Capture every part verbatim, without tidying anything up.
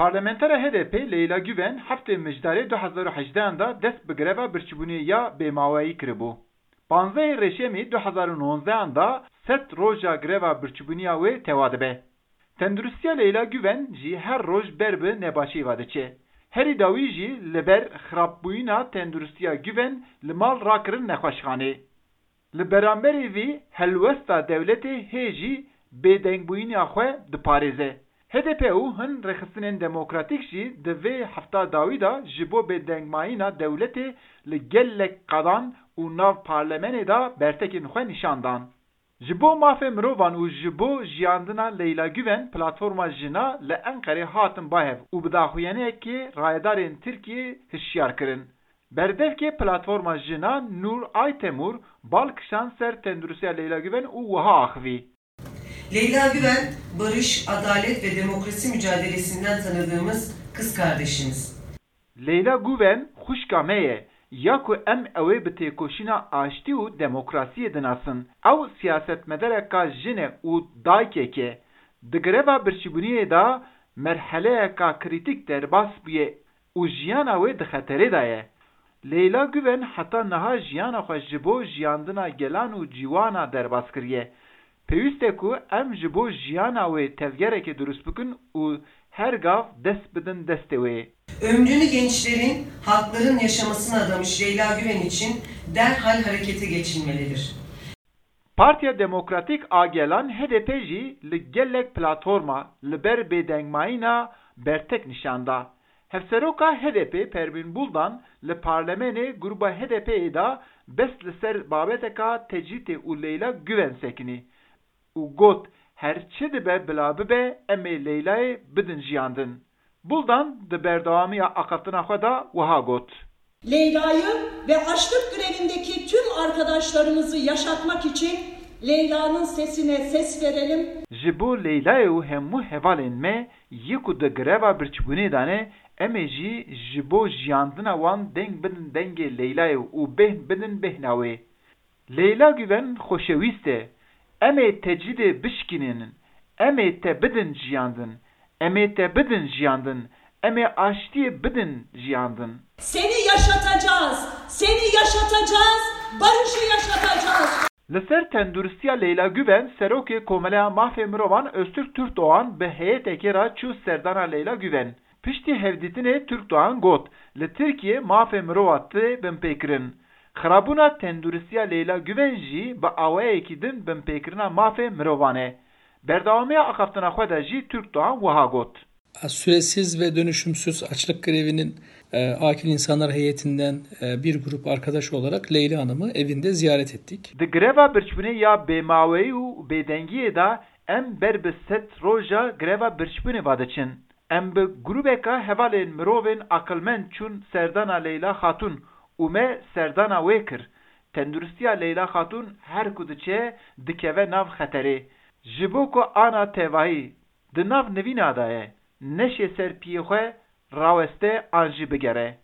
Parlamentera H D P Leyla Güven heftê Mijdarê du hezar û hejdehan de dest bi greva birçîbûnê ya bêmaweyî kiribû. Panzdehê Reşemê du hezar û nozdehan de sed roja greva birçîbûnê ya wê tewa dibe. Tenduristiya Leyla Güven jî her roj ber bi nebaşiyê ve diçe. Herî dawî jî li ber xirabbûyîna tenduristiya Güven li mal rakirin nexweşxanê. Li beramberî vî helwesta dewletê hê jî bêdengbûyîna xwe diparêze. H D P û hin rêxistinên demokratîk jî di vê hefta dawî de ji bo bêdengmayîna dewletê li gelek qadan û nav parlemenê de bertekên xwe nîşan dan. Ji bo mafê mirovan û ji bo jiyandina Leyla Güven platforma jina li Enqerê hatin bahev û bi daxuyaniyekê rayedarên Tirkiyê hişyar kirin. Berdevkê platforma jina Nur Aytemur bal kişand ser tenduristiya Leyla Güven û wiha axivî. Leyla Güven, barış, adalet ve demokrasi mücadelesinden tanıdığımız kız kardeşimiz. Leyla Guven xwişka me ye, ya ku em ew ê bi têkoşîna aştî û demokrasiyê dinasin. Ew siyasetmedereka jin e û dayikek e. Di greva birçîbûniyê de merheleyeka krîtîk derbas bûye û jiyana wê di xeterê de ye. Leyla Guven heta niha jiyana xwe ji bo jiyandina gelan û ciwana derbas kiriye. Pêwîst e ku em ji bo jiyana wê tevgereke dirust bikin û her gav dest bidin destê wê. Ömrünü gençlerin, halkların yaşamasına adamış Leyla Güven için derhal harekete geçilmelidir. Partiya Demokratîk a Gelan, H D P, jî li gelek platforma li ber bêdengmayîna bertek nîşan da. Hevseroka H D P Pervîn Buldan li parlemenê gruba H D P'ê de bes li ser babeteka tecrîtê û Leyla Guven sekinî û got, her çi dibe bila bibe, em ê Leylayê bidin jiyandin. Buldan di berdewamiya axaftina xwe de wiha got. Leyla'yı ve açlık grevindeki tüm arkadaşlarımızı yaşatmak için Leyla'nın sesine ses verelim. Ji bo Leylayê û hemû hevalên me yê ku di greva birçîbûnê de ne, em ê jî ji bo jiyandina wan deng bidin dengê Leylayê û bêhn bidin bêhna wê. Leyla Guven xoşewîst e. Em ê tecrîdê bişkînînin. Em ê te bidin jiyandin. Em ê te bidin jiyandin. Em ê aştiyê bidin jiyandin. Seni yaşatacağız. Seni yaşatacağız. Barışı yaşatacağız. Li ser tenduristiya Leyla Guven, Serokê Komeleya Mafê Mirovan Öztürk Türkdoğan bi heyetekê re çû serdana Leyla Guven. Piştî hevdîtinê Türkdoğan got, li Tirkiyê mafê mirova tê binpêkirin. Xirabûna tenduristiya Leyla Guven jî bi awayekî din binpêkirina mafê mirovan e. Berdewamiya axaftina xwe de jî Türkdoğan wiha got. Süresiz ve dönüşümsüz açlık grevinin, e, akil insanlar heyetinden, e, bir grup arkadaş olarak Leyla Hanım'ı evinde ziyaret ettik. Di greva birçîbûnê ya bêmaweyî û bêdengiyê de em ber bi sed roja greva birçîbûnê ve diçin. Em bi grûbeka hevalên mirovên aqilmend çûn serdana Leyla Xatûn û me serdana wê kir. Tenduristiya Leyla Xatûn her ku diçe, dikeve nav xeterê. Ji bo ku ana tevahî di nav nivîna de ye, neşê ser piyê xwe raweste an jî bigere.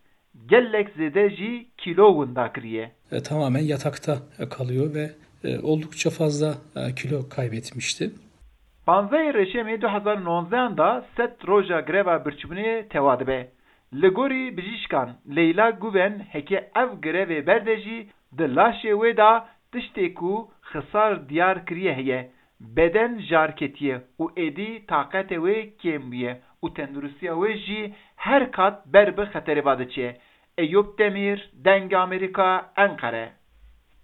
Gelek zêde jî kîlo winda kiriye. E, tamamen yatakta, e, kalıyor ve, e, oldukça fazla, e, kilo kaybetmişti. Panzdehê Reşemê du hezar û nozdehan de sed roja greva birçîbûnê tewa dibe. Li gorî bijîşkan, Leyla Guven heke ev grevê berde jî di laşê wê de tiştê ku xisar diyar kiriye heye. Beden jar ketiye û êdî taqetê wê kêm bûye û tenduristiya wê jî her kat ber bi xeterê ve diçe. Eyûp Demîr, Dengê Amerîka, Enqere.